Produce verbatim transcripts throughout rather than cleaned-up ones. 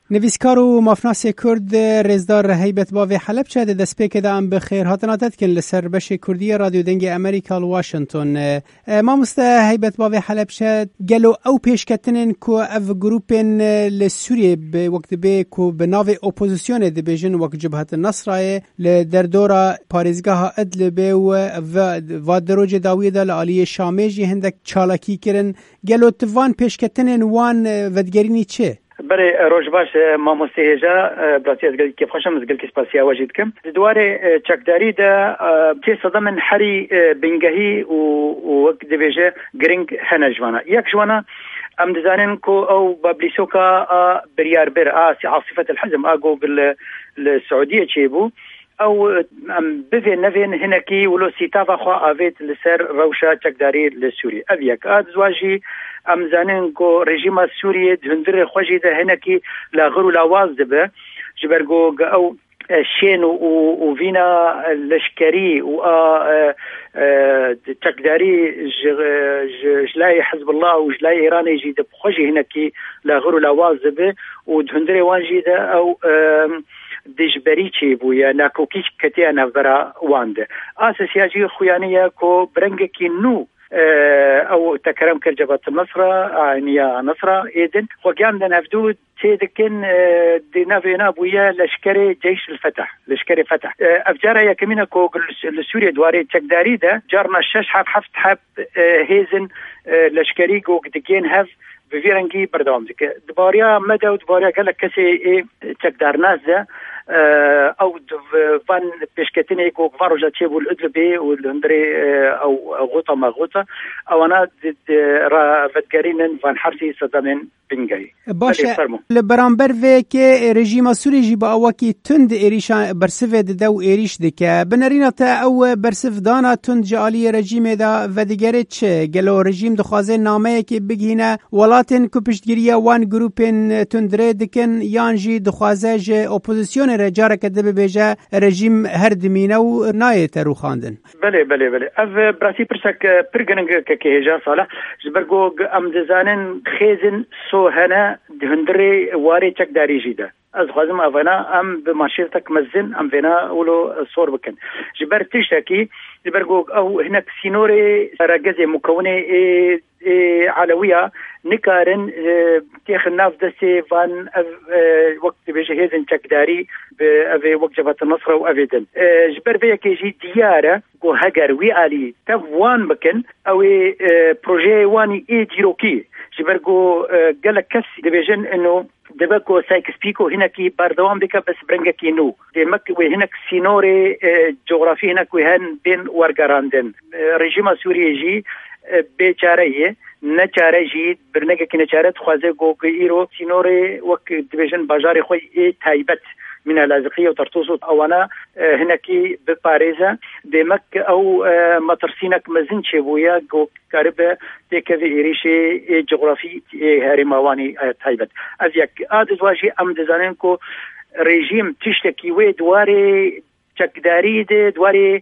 Nivîskar û mafnasê Kurd, Rêzdar Heybet Bavê Helebçe, di destpêkê de em bi xêrhatina te dikin li ser beşê Kurdî yê Radyo Dengê Amerîka li Washington. E, mamoste Heybet Bavê Helebçe, gelo ew pêşketinên ku ev grûpên, e, li Sûriyê bi, wek dibê ku bi navê opozisyonê dibêjin, wek Cibhet Nasrayê, li derdora parêzgeha Idlibê û va, va di rojê dawiyê de li aliyê Şamê jî hindek çalakî kirin. Gelo tu van pêşketinên wan, e, vedigerînî çi? Berê, e, roj baş, e, mamoste hêja, e, bi rastî ez gelkî kêfxweş im, ez gelkî spasiya we jî dikim. Di dwarê, e, çekdarî de, e, tê sedemên herî, e, bingehî û, û wek dibêje giring hene ji wana. Yek ji wana, em dizanin ku ew bablîsoka a biryarbir, a si-, Asîfet el Hizm, a ku li, li Siûdiyê çêbû, ew, em bivên nevên hinekî wilo sîtava xwe avêt li ser rewşa çekdarî li Sûriyê. Ev yek. A duzwa jî em zanin ku rejîma Sûriyê di hundirê xwe jî de hinekî laxir û lawaz dibe. Ji ber ku ew, e, şên û, û, û vîna leşkerî û a, e, e, çekdarî ji, ji, ji layê Hizbullah û ji layê Îranê jî di xwe jî hinekî laxir û lawaz dibe û di hundirê wan jî de ew, e, dijberî çêbûye, nakokî ketiye navbera wan de. Asisiya jî xuyanî ye ku bi rengekî nû, e, ew tekerem kir Cebhet Nasra, Ayniya Nasra êdin, xwe giyan din hevdû tê dikin, e, di navê na bûye leşkerê Ceyş el Fetah, leşkerê Fetah. E, ev cara yekemîn e ku li, li Sûriyê di warê çekdarî de carna şeş heb, heft heb, e, hêzin, e, leşkerî ku digên hev bi vî rengî berdewam dike. Di bariya me de û di bariya gelek kesê ê çekdarnas de, e, ew di v-, van pêşketinê ku van roja çêbû li Idlibê û li hundirê, e, ew, e, Xuta me Xuta, ewana di, di ra vedigerînin van hersî sedemên bingehî. Baş e, Belê, fermo. Li beramber vê yekê rejîma Sûrî jî bi awakî tund êrîşa bersivê dide û êrîş dike. Bi nerîna te ew bersivdana tund ji aliyê rejîmê de vedigere çi? Gelo rejîm dixwaze nameyekê bigihîne welatên ku piştgiriya wan grûpên tundrê dikin, yan jî dixwaze ji opozisyonê re careke din bibêje rejîm her dimîne û nayête rûxandin? Belê, belê, belê. Ev, e, bi rastî pirsek, e, pir giring e, kekê hêja Salih. Ji ber ku g-, em dizanin xêzin so hene di hundirê warê çekdarî jî de. Ez dixwazim evena em bi manşetek mezin em vêna wilo, e, sor bikin. Ji ber tiştekî, ji ber ku ew hinek sînorê regezê mukewinê ê, ê Elewiya nikarin, e, têxin nav destê van ev, e, wek dibêje hêzin çekdarî bi evê wek Cebhet Nasra û evê din. E, ji ber vê yekê jî diyar e ku heger wî alî tev wan bikin, ew ê, e, projeyê wan î ê dîrokî, ji ber ku, e, gelek kes dibêjin ino dibe ku Sykes-Picot hinekî berdewam bike, bes bi rengekî nû. Demek wê hinek sînorê, e, cografî hinek wê hen bên wergerandin. E, rejîma Sûriyê jî, e, bêçare ye. Neçare jî, bi rengekî neçare dixwaze ku îro sînorê wek dibêjin bajarê xwe ê taybet, Mîna Laziqiyê û Tertûs û ewana, e, hinekî biparêze. Demek ew, e, metirsînek mezin çêbûye ku karibe têkeve êrîşê ê cografî ê herêma wan î, e, taybet. Ev yek. A duzwa jî em dizanin ku rejîm tiştekî wê di warê çekdarî de, di warê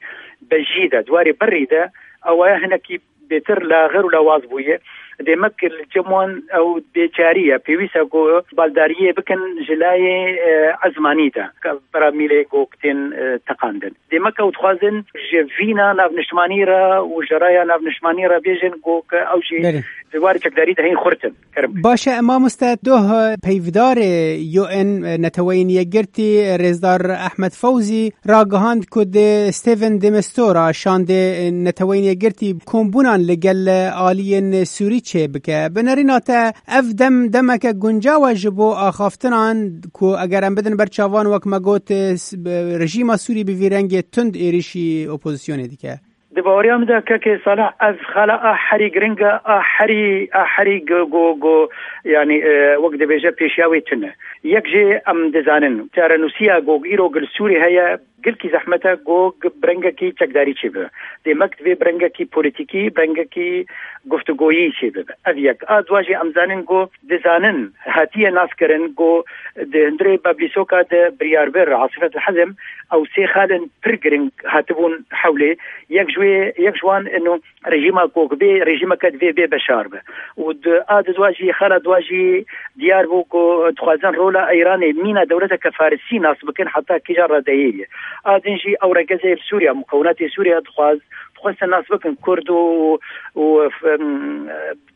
bejî de, di warê berî de, ew aya hinekî bêtir laxir û lawaz bûye. Demek li cem wan ew bêçarî ye. Pêwîst e ku baldariyê bikin ji layê, e, ezmanî de. Pera mîlê ku tên, e, teqandin. Demek ew dixwazin ji vîna navniştimanî re û ji raya navniştimanî re bêjin ku ke ew jî Belê. di warê çekdarî de hên xurt in. Kerem. Baş e, mamoste, doh peyvdarê U N Neteweyên Yekgirtî, Rêzdar Ehmed Fewzî, ragihand ku di Stephen de Mistura şandê Neteweyên Yekgirtî kombûnan li gel aliyên Sûrî çêbike. Bi nerîna te ev dem demeke guncaw e ji bo axaftinan ku eger em bidin ber çavan, wek me got, s-, rejîma Sûrî bi vî rengê tund êrîşî opozisyonê dike? Di baweriya min de kekê Salih, ev xala a herî giring e, a herî, a herî go, go, go, yanî, e, wek dibêje pêşiya wê tune. Yek jê em dizanin, çarenûsiya ku îro gil Sûrî heye, Gelkî zehmet e ku bi rengekî çekdarî çêbibe. Demek divê bi rengekî polîtîkî, bi rengekî guftûgoyî çêbibe. Ev yek. A dwa jî em zanin ku dizanin hatiye naskirin ku di hundirê Bablîsoka de biryarbir Asîfet Hezim ew sê xalên pir giring hatibûn hewlê. Yek ji wê, yek ji wan ino rejîma ku bê rejîmeke divê bê beşar be. Û di, a di dwa jî, xala dwa jî diyar bû ku dixwazin rola Îranê mîna dewleteke Farisî nas bikin heta kîja radeyê ye. A din jî ew regezê li Sûriya, mukewinatê Sûriya dixwaz, dixwestin nas bikin Kurd û, û, em,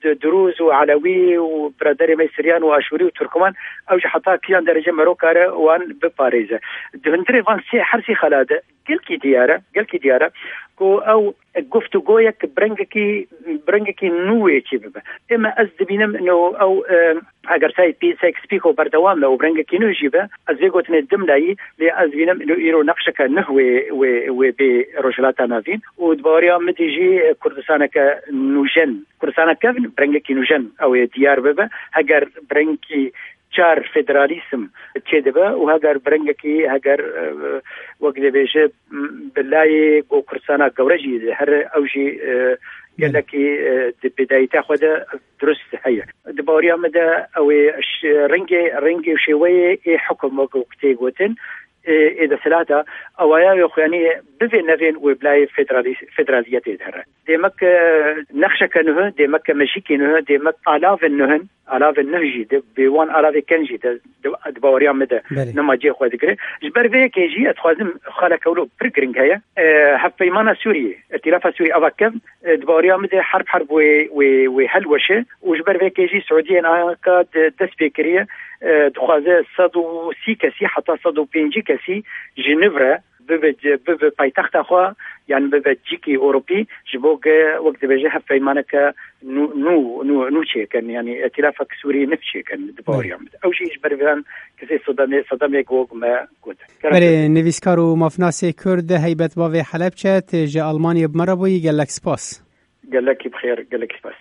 d-, Dirûz û Elewî û biraderê me Siryan û Aşûrî û Turkmen, ew jî heta kîjan derece mero kare wan biparêze. Di hundirê van sê, her sê xala de gelkî diyar e, gelkî diyar e ku ew guftûgoyek bi rengekî, bi rengekî nû wê çê bibe. Ême ez dibînim ino ew, e, eger Sykes-Picot berdewam be û bi rengekî nû jî be, ez vê gotinê dim layî, lê ez dibînim ino îro nexşeke nuh wê, wê, wê bê Rojhilata Navîn û di baweriya min de jî Kurdistaneke nûjen, Kurdistana kevn bi rengekî nûjen ew ê diyar bibe. Heger bi rengekî çar federalîsim çêdibe û heger bi rengekî, heger, e, wek dibêje, m, bi layê ku Kurdistana gewre jî her ew jî, e, gelekî, e, di bêdayîtiya xwe de dirust heye. Di baweriya min de ew ê ş-, rengê, rengê û şêweyê ê hukum wek, wek tê gotin, ê, ê desthilata, ewaya wê xwe, yanî bivên nevên wê bi layê federalî-, federaliyetê de here. Demek, e, nexşeke nuh, demek ke mejîkê nuh, demek alavên nuh in, alavên nuh jî de, bê wan alavê ken jî de, de, di baweriya min de Belê. Nema cihê xwe digire. Ji ber vê yekê jî ez dixwazim xaleke wilo pir giring heye. E, Hevpeymana Sûriyê, Îtîlafa Sûriyê ava kevn, e, di baweriya min de herb herb wê, wê, wê helweşe û ji ber vê yekê jî Siûdiyê niha ka de dest pê kiriye, e, dixwaze sed û sî kesî heta sed û pêncî kesî ji nû re bibe, bibe paytexta xwe, yan bibe cîkî Ewropî, ji bo ke, wek dibêje, hevpeymaneke nû, nû, nû, nû çêkin, yanî îtîlafek Sûrî nû çêkin, di baweriya min de. Ew jî ji ber van kesê sedemê, sedemê ku me got. Belê, nivîskar û mafnasê Kurd Heybet Bavê Helebçe, tê ji Almanyê bi me re bûyî, gelek spas. Gelekî bi xêr, gelekî spas.